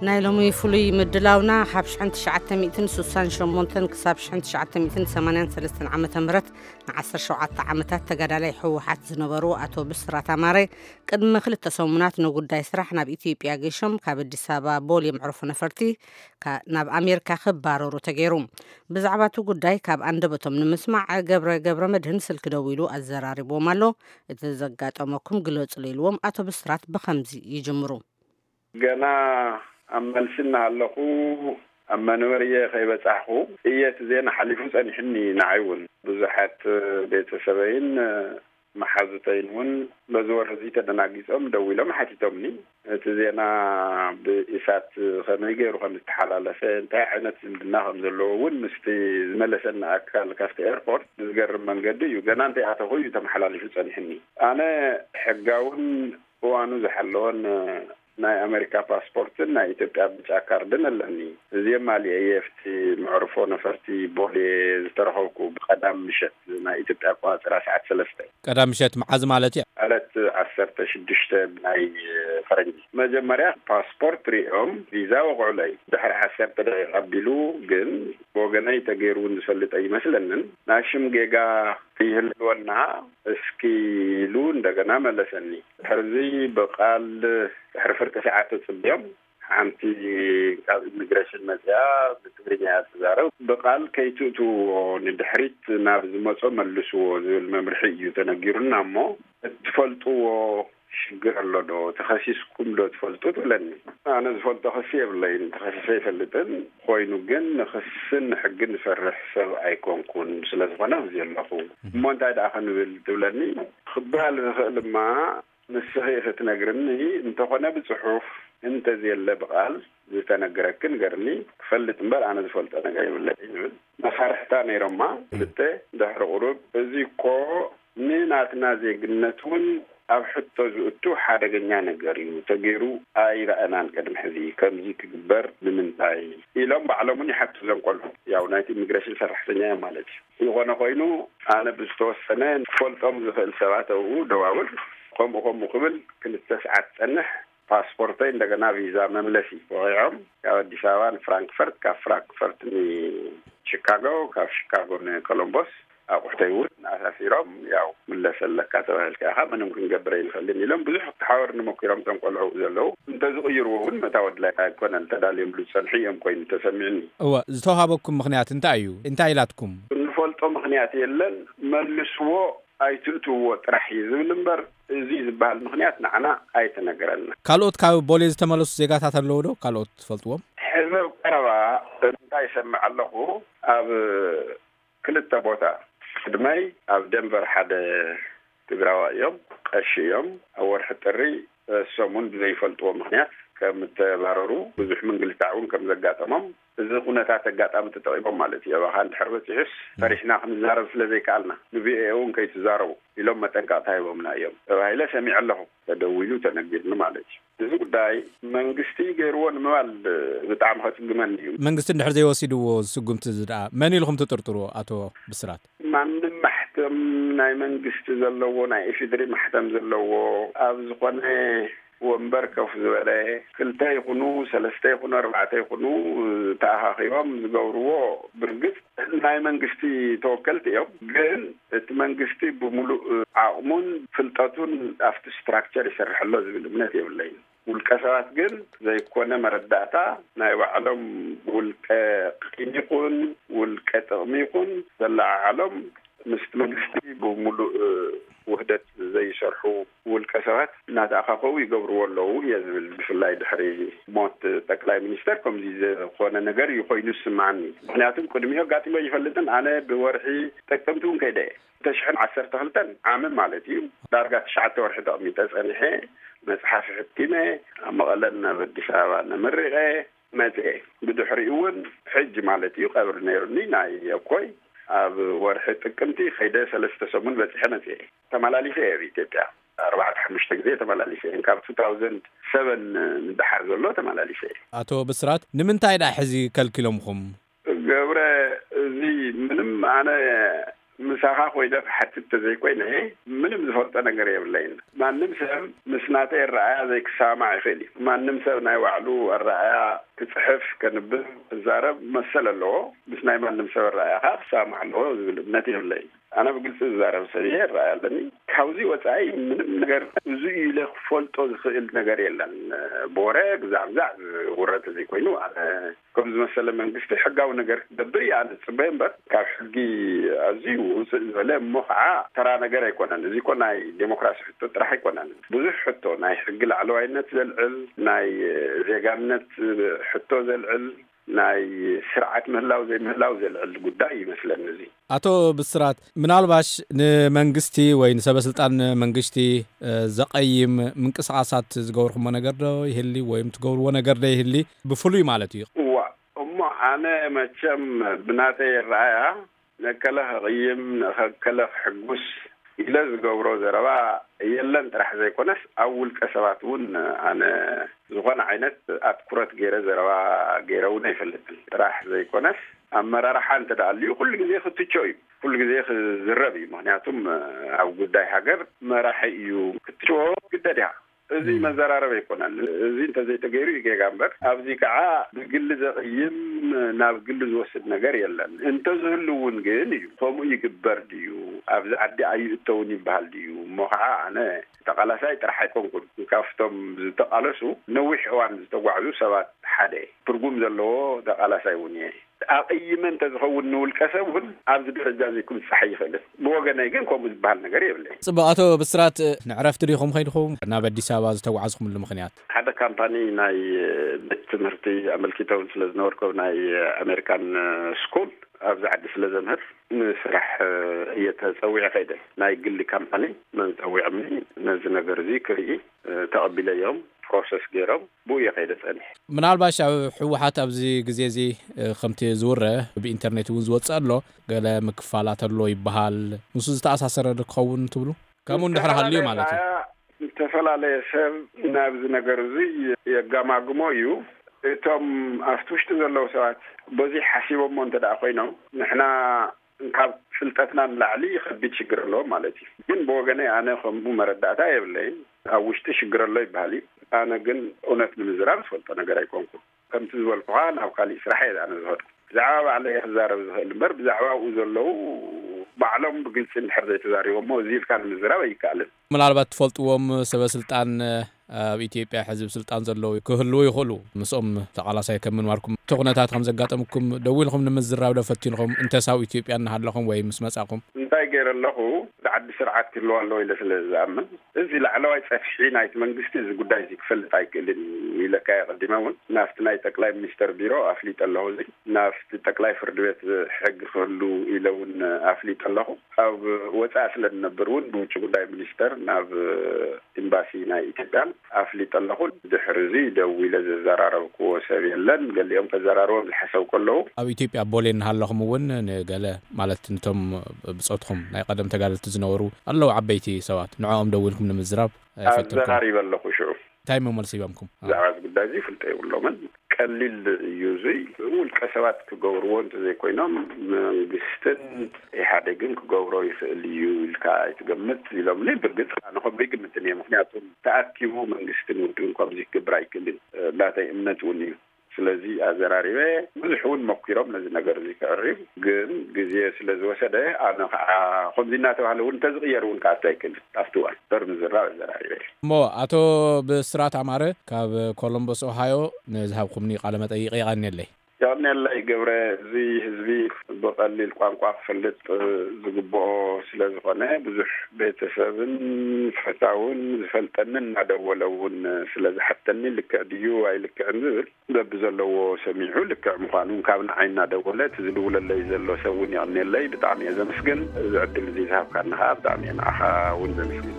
ናይ ሎሚ ፍሉይ ምድላውና ካብ ሽሕን ትሽዓተ ሚእትን ስሳን ሸሞንተን ክሳብ ሽሕን ትሽዓተ ሚእትን ሰማንያን ሰለስተን ዓመተ ምህረት ንዓሰርተ ሸውዓተ ዓመታት ተጋዳላይ ህወሓት ዝነበሩ ኣቶ ብስራት ኣማረ ቅድሚ ክልተ ሰሙናት ንጉዳይ ስራሕ ናብ ኢትዮጵያ ገይሾም ካብ ኣዲስ ኣበባ ቦሌ መዕርፎ ነፈርቲ ካ-፣ ናብ ኣሜሪካ ክባረሩ ተገይሩ። ብዛዕባ እቲ ጉዳይ ካብ ኣንደበቶም ንምስማዕ ገብረ ገብረ መድህን ስልኪ ደዊሉ ኣዘራሪብዎም ኣሎ። እቲ ዘጋጠመኩም ግለጹ ኢልዎም ኣቶ ብስራት ብኸምዚ ይጅምሩ። ገና ኣብ መልሲ እናሃለኹ ኣብ መንበርየ ከይበጻሕኹ እየ እቲ ዜና ሓሊፉ ጸኒሕኒ። ንዓይ እውን ብዙሓት ቤተሰበይን መሓዙተይን እውን በዚ ወረ እዚ ተደናጊጾም ደዊሎም ሓቲቶምኒ። እቲ ዜና ብኢሳት ከመይ ገይሩ ከም ዝተሓላለፈ፣ እንታይ ዓይነት ዝምድና ከም ዘለዎ እውን ምስቲ ዝመለሰኒ ኣካል ካብቲ ኤርፖርት ብዝገርም መንገዲ እዩ። ገና እንተይኣተኹ እዩ ተመሓላሊፉ ጸኒሕኒ። ኣነ ሕጋውን እዋኑ ዝሓለወን ናይ ኣሜሪካ ፓስፖርትን ናይ ኢትዮጵያ ብጫ ካርድን ኣለኒ። እዚኦም ኣሊአ እየ ኣብቲ መዕርፎ ነፈርቲ ቦሌ ዝተረኸብኩ ብቐዳም ምሸት ናይ ኢትዮጵያ ኣቆጻጽራ ሰዓት ሰለስተ። ቀዳም ምሸት መዓዝ ማለት እዩ? ዕለት ዓሰርተ ሽዱሽተ ናይ ፈረንጂ። መጀመርያ ፓስፖርት ሪኦም ቪዛ ወቕዑለይ። ድሕሪ ዓሰርተ ደቂቃ ኣቢሉ ግን ብወገነይ ተገይሩ እውን ዝፈልጥ ኣይመስለንን። ናይ ሽም ጌጋ ይህልወና እስኪ ኢሉ እንደገና መለሰኒ። ድሕርዚ ብቓል ድሕሪ ፍርቂ ሰዓት ተጽብዮም ሓንቲ ካብ ኢሚግሬሽን መጽያ ብትግርኛ እያ ትዛረብ። ብቓል ከይትእትውዎ ንድሕሪት ናብ ዝመጾ መልስዎ ዝብል መምርሒ እዩ ተነጊሩና እሞ እትፈልጥዎ ሽግር ኣሎ ዶ? ተኸሲስኩም ዶ ትፈልጡ? ትብለኒ። ኣነ ዝፈልጦ ክሲ የብለይን፣ ተኸሲሰ ኣይፈልጥን። ኮይኑ ግን ንክስን ንሕግን ዝፈርሕ ሰብ ኣይኮንኩን። ስለ ዝኾነ ኣብዚ ኣለኹ። እሞ እንታይ ደኣ ክንብል ትብለኒ? ክበሃል ዝኽእል ድማ ንስኺ ኢኺ ትነግርኒ፣ እንተኾነ ብጽሑፍ፣ እንተዘየለ ብቓል ዝተነገረኪ ንገርኒ፣ ክፈልጥ እምበር ኣነ ዝፈልጦ ነገር የብለይን ይብል። መሳርሕታ ነይሮማ ክልተ። ድሕሪ ቁሩብ፣ እዚ እኮ ንናትና ዜግነት እውን ኣብ ሕቶ ዝእቱ ሓደገኛ ነገር እዩ፣ ተገይሩ ኣይረኣናን ቅድሚ ሕዚ፣ ከምዚ ክግበር ንምንታይ? ኢሎም ባዕሎም እውን ይሓቱ እዞም ቆልዑ። ያው ናይቲ ኢሚግሬሽን ሰራሕተኛ እዮም ማለት እዩ። ዝኾነ ኮይኑ ኣነ ብዝተወሰነ ክፈልጦም ዝኽእል ሰባት ኣብኡ ደዋውል፣ ከምኡ ከምኡ ክብል ክልተ ሰዓት ጸንሕ። ፓስፖርተይ እንደገና ቪዛ መምለሲ ወቒዖም ካብ ኣዲስ ኣበባ ንፍራንክፈርት፣ ካብ ፍራንክፈርት ንቺካጎ፣ ካብ ሺካጎ ንኮሎምቦስ ኣቑሑተይ እውን ኣሳፊሮም፣ ያው ምለስ ኣለካ ተባሂልካ ኢኻ፣ ምንም ክንገብር ኣይንኽእልን ኢሎም ብዙሕ ክተሓወርኒ ሞኪሮም። እቶም ቆልዑ ዘለዉ እንተዝቕይርዎ እውን መታወድላይ ኣይኮነን ተዳልዮምሉ ዝጸንሑ እዮም ኮይኑ ተሰሚዕኒ። እወ፣ ዝተውሃበኩም ምኽንያት እንታይ እዩ? እንታይ ኢላትኩም? እንፈልጦ ምኽንያት የለን፣ መልስዎ ኣይትእትውዎ ጥራሕ እዩ ዝብል እምበር፣ እዚ ዝበሃል ምኽንያት ንዓና ኣይተነገረና። ካልኦት ካብ ቦሌ ዝተመለሱ ዜጋታት ኣለዉ ዶ? ካልኦት ትፈልጥዎም? ሕዚ ኣብ ቀረባ እንታይ ይሰምዕ ኣለኹ፣ ኣብ ክልተ ቦታ፣ ቅድመይ ኣብ ደንቨር ሓደ ትግራዋይ እዮም፣ ቀሺ እዮም። ኣብ ወርሒ ጥሪ እሶም እውን ብዘይፈልጥዎ ምኽንያት ከም እተባረሩ፣ ብዙሕ ምንግልታዕ እውን ከም ዘጋጠሞም፣ እዚ ኩነታት ኣጋጣሚ ተጠቒሞም ማለት እዩ። ኣባኻ እንድሕር በፂሑስ ፈሪሕና ክንዛረብ ስለ ዘይከኣልና፣ ን ቪ ኦ ኤ እውን ከይትዛረቡ ኢሎም መጠንቀቕታ ሂቦምና እዮም ተባሂለ ሰሚዐ ኣለኹ። ተደዊሉ ተነጊርኒ ማለት እዩ። እዚ ጉዳይ መንግስቲ ገይርዎ ንምባል ብጣዕሚ ከጽግመኒ እዩ። መንግስቲ እንድሕር ዘይወሲድዎ ስጉምቲ እዚ ደኣ መን ኢልኹም ትጥርጥርዎ ኣቶ ብስራት? ማንም ማሕተም ናይ መንግስቲ ዘለዎ፣ ናይ ኢፌዴሪ ማሕተም ዘለዎ፣ ኣብ ዝኾነ ወንበር ኮፍ ዝበለ፣ ክልተ ይኹኑ፣ ሰለስተ ይኹኑ፣ ኣርባዕተ ይኹኑ፣ ተኣኻኺቦም ዝገብርዎ፣ ብርግጽ ናይ መንግስቲ ተወከልቲ እዮም። ግን እቲ መንግስቲ ብምሉእ ዓቕሙን ፍልጠቱን ኣብቲ ስትራክቸር ይሰርሕ ኣሎ ዝብል እምነት የብለይን። ውልቀ ሰባት ግን ዘይኮነ መረዳእታ ናይ ባዕሎም ውልቀ ቂም ይኹን ውልቀ ጥቕሚ ይኹን ዘለዓዓሎም ምስቲ መንግስቲ ብምሉእ ውህደት ዘይሰርሑ ውልቀ ሰባት እናተኣኻኸቡ ይገብርዎ ኣለዉ እየ ዝብል። ብፍላይ ድሕሪ ሞት ጠቅላይ ሚኒስተር ከምዚ ዝኾነ ነገር እዩ ኮይኑ ዝስምዓኒ። ምኽንያቱም ቅድሚኡ ኣጋጢሞ ይፈልጥን ኣነ ብወርሒ ጥቅምቲ እውን ከይደ እየ። ክልተ ሽሕን ዓሰርተ ክልተን ዓሚ ማለት እዩ። ዳርጋ ትሽዓተ ወርሒ ተቐሚጠ ጸኒሐ፣ መጽሓፍ ሕቲመ፣ ኣብ መቐለን ኣብ ኣዲስ ኣበባ ነመሪቐ መጽኤ። ብድሕሪኡ እውን ሕጂ ማለት እዩ ቀብሪ ነይሩኒ ናይ ኣኮይ። ኣብ ወርሒ ጥቅምቲ ከይደ ሰለስተ ሰሙን በጺሐ መጽኤ። ተመላሊሰ እየ ኣብ ኢትዮጵያ። ኣርባዕተ ሓሙሽተ ግዜ ተመላሊሰ እየ። ካብ ቱ ታውዘንድ ሰቨን ንደሓር ዘሎ ተመላሊሰ እየ። ኣቶ ብስራት፣ ንምንታይ ደኣ ሕዚ ከልኪሎምኹም? ገብረ፣ እዚ ምንም ኣነ ምሳኻ ኮይነ ክሓትት ተዘይኮይነ ምንም ዝፈልጦ ነገር የብለይን። ማንም ሰብ ምስ ናተይ ኣረኣያ ዘይክሰማማዕ ይኽእል እዩ። ማንም ሰብ ናይ ባዕሉ ኣረኣያ ክጽሕፍ፣ ከንብብ፣ ክዛረብ መሰል ኣለዎ። ምስ ናይ ማንም ሰብ ኣረኣያ ከዓ ክሰማማዕ ኣለዎ ዝብል እምነት የብለይን። ኣነ ብግልጺ ዝዛረብ ሰብ እየ፣ ኣረኣያ ኣለኒ። ካብዚ ወጻኢ ምንም ነገር እዚ እዩ ኢለ ክፈልጦ ዝኽእል ነገር የለን። ብወረ ግዛዕ ግዛዕ ዝውረ ተዘይኮይኑ ኣነ ከም ዝመሰለ መንግስቲ ሕጋዊ ነገር ክገብር እየ ኣነ ዝጽበዮ እምበር፣ ካብ ሕጊ ኣዝዩ ውፅእ ዝበለ እሞ ከዓ ተራ ነገር ኣይኮነን። እዚ እኮ ናይ ዴሞክራሲ ሕቶ ጥራሕ ኣይኮነን። ብዙሕ ሕቶ፣ ናይ ሕጊ ላዕለዋይነት ዘልዕል፣ ናይ ዜጋነት ሕቶ ዘልዕል፣ ናይ ስርዓት ምህላው ዘይምህላው ዘልዕል ጉዳይ ይመስለኒ እዚ። ኣቶ ብስራት፣ ምናልባሽ ንመንግስቲ ወይ ንሰበ ስልጣን መንግስቲ፣ እ፣ ዘቐይም ምንቅስቓሳት ዝገብርኩሞ ነገር ዶ ይህሊ ወይም ትገብርዎ ነገር ዶ ይህሊ? ብፍሉይ ማለት እዩ። እዋ፣ እሞ ኣነ መቸም ብናተይ ኣረኣያ ነከለ ከቕይም፣ ነከለ ክሕጉስ ኢለ ዝገብሮ ዘረባ የለን ጥራሕ ዘይኮነስ፣ ኣብ ውልቀ ሰባት እውን ኣነ ዝኾነ ዓይነት ኣትኩረት ገይረ ዘረባ ገይረ እውን ኣይፈልጥን። ጥራሕ ዘይኮነስ፣ ኣመራርሓ እንተ ደኣ ኣልዩ ኩሉ ግዜ ክትቾ እዩ፣ ኩሉ ግዜ ክዝረብ እዩ። ምኽንያቱም ኣብ ጉዳይ ሃገር መራሒ እዩ ክትችዎ ግደድ ኢኻ። እዚ መዘራረብ ኣይኮነን። እዚ እንተዘይተገይሩ እዩ ጌጋ እምበር፣ ኣብዚ ከዓ ብግሊ ዘቕይም፣ ናብ ግሊ ዝወስድ ነገር የለን። እንተዝህሉ እውን ግን እዩ፣ ከምኡ ይግበር ድዩ፣ ኣብዚ ዓዲ ኣይእተውን ይበሃል ድዩ? እሞ ከዓ ኣነ ተቓላሳይ ጥራሕ ኣይኮንኩን። ካብቶም ዝተቓለሱ ነዊሕ እዋን ዝተጓዕዙ ሰባት ሓደ እየ። ትርጉም ዘለዎ ተቓላሳይ እውን እየ። ኣቕይመ እንተዝኸውን ንውልቀ ሰብ እውን ኣብዚ ደረጃ እዚ ክብጻሕ ኣይኽእልን። ብወገነይ ግን ከምኡ ዝበሃል ነገር የብለይን። ጽቡቕ፣ ኣቶ ብስራት፣ ንዕረፍቲ ዲኹም ከይድኹም ናብ ኣዲስ ኣበባ ዝተጓዕዝኩምሉ ምኽንያት? ሓደ ካምፓኒ ናይ ቤት ትምህርቲ ኣመልኪተ እውን ስለ ዝነበርኩ፣ ናይ ኣሜሪካን ስኩል ኣብዚ ዓዲ ስለ ዘምህር ንስራሕ እየ ተጸዊዐ ከይደ። ናይ ግሊ ካምፓኒ መን ጸዊዖምኒ ነዚ ነገር እዚ ክርኢ፣ ተቐቢለዮም፣ ፕሮሰስ ገይሮም ብኡ እየ ከይደ ጸኒሐ። ምናልባሽ ኣብ ህወሓት ኣብዚ ግዜ እዚ፣ እ፣ ከምቲ ዝውረ ብኢንተርኔት እውን ዝወጽእ ኣሎ፣ ገለ ምክፋላት ኣሎ ይበሃል። ንሱ ዝተኣሳሰረ ዶ ክኸውን ትብሉ? ከምኡ እንድሕር ሃልዩ ማለት እዩ። ዝተፈላለየ፣ ዝተፈላለየ ሰብ ናብዚ ነገር እዚ የጋማግሞ እዩ። እቶም ኣብቲ ውሽጢ ዘለዉ ሰባት በዚ ሓሲቦሞ እንተ ደኣ ኮይኖም፣ ንሕና ካብ ፍልጠትና ንላዕሊ ከቢድ ሽግር ኣለዎም ማለት እዩ። ግን ብወገነይ ኣነ ከምኡ መረዳእታ የብለይን። ኣብ ውሽጢ ሽግር ኣሎ ይበሃል እዩ። ኣነ ግን እውነት ንምዝራብ ዝፈልጦ ነገር ኣይኮንኩን። ከምቲ ዝበልኩኻ ናብ ካሊእ ስራሕ እየ ኣነ ዝኸድኩ። ብዛዕባ ባዕለይ እየ ክዛረብ ዝኽእል እምበር ብዛዕባ ኣብኡ ዘለዉ ባዕሎም ብግልፂ እንድሕር ዘይተዛሪቦሞ እዚ ኢልካ ንምዝራብ ኣይከኣልን። ምናልባት ትፈልጥዎም ሰበ ስልጣን ኣብ ኢትዮጵያ ሕዚ ስልጣን ዘለዉ ክህልዉ ይኽእሉ። ምስኦም ተቓላሳይ ከም ምንባርኩም እቲ ኩነታት ከም ዘጋጠምኩም ደዊልኩም ንምዝራብ ዶ ፈቲንኹም? እንተስ ኣብ ኢትዮጵያ እናሃለኹም ወይ ምስ መጻኹም? እንታይ ገይረ ኣለኹ? እቲ ዓዲ ስርዓት ክህልዋ ኣለዎ ኢለ ስለ ዝኣምን፣ እዚ ላዕለዋይ ጸፍሒ ናይቲ መንግስቲ እዚ ጉዳይ እዚ ክፈልጥ ኣይክእልን እዩ ኢለካ እየ ቀዲመ እውን። ናብቲ ናይ ጠቅላይ ሚኒስተር ቢሮ ኣፍሊጠ ኣለኹ። እዚ ናብቲ ጠቅላይ ፍርዲ ቤት ሕጊ ክህሉ ኢለ እውን ኣፍሊጠ ኣለኹ። ኣብ ወጻኢ ስለ እንነብር እውን ብውጭ ጉዳይ ሚኒስተር ናብ ኤምባሲ ናይ ኢትዮጵያን ኣፍሊጠ ኣለኹ። ድሕሪ እዚ ደዊለ ዘዘራረብክዎ ሰብ የለን። ገሊኦም ከዘራርቦም ዝሓሰብ ከለዉ ኣብ ኢትዮጵያ ቦሌ እናሃለኹም እውን ንገለ ማለት ንቶም ብጾትኩም ናይ ቀደም ተጋደልቲ ዝነበሩ ኣለዉ ዓበይቲ ሰባት ንዕኦም ደዊልኩም ንምዝራብ ኣይፈተንኩም? ኣዘራሪበ ኣለኹ ሽዑ። እንታይ እሞ መልሲ ሂቦምኩም? ብዛዕባ እዚ ጉዳይ እዚ ፍልጠ የብሎምን። ቀሊል እዩ። እዚ ውልቀ ሰባት ክገብርዎ እንተዘይኮይኖም መንግስትን ኢህኣዴግን ክገብሮ ይኽእል እዩ ኢልካ ኣይትገምት ኢሎምኒ። ብርግጽ ኣነ ከምኡ ይግምትን እየ። ምኽንያቱም ተኣኪቡ መንግስትን ውድብን ከምዚ ክገብር ኣይክእልን፣ እ፣ ናተይ እምነት እውን እዩ። ስለዚ ኣዘራሪበ፣ ብዙሕ እውን መኪሮም ነዚ ነገር እዚ ከዕርዩ፣ ግን ግዜ ስለ ዝወሰደ ኣነ ከዓ ከምዚ እናተባህለ እውን እንተዝቕየር እውን ክኣቱ ኣይክእልን። ኣብቲ እዋን በር ምዝራብ ኣዘራሪበ። እሞ ኣቶ ብስራት ኣማረ ካብ ኮሎምቦስ ኦሃዮ ንዝሃብኩምኒ ቃለ መጠይቅ የቐንየለይ። የቐንየለይ ገብረ፣ እዚ ህዝቢ ብቐሊል ቋንቋ ክፈልጥ ዝግብኦ ስለ ዝኾነ፣ ብዙሕ ቤተሰብን ፈታውን ዝፈልጠኒ እናደወለ እውን ስለ ዝሓተኒ፣ ልክዕ ድዩ ኣይልክዕን ዝብል በብዘለዎ ሰሚዑ ልክዕ ምዃኑ ካብ ንዓይ እናደወለ እቲ ዝድውለለይ ዘሎ ሰብ እውን የቐንየለይ። ብጣዕሚ እየ ዘመስግን። እዚ ዕድል እዚ ዝሃብካኒ ከዓ ብጣዕሚ እየ ንዓኻ እውን ዘመስግን።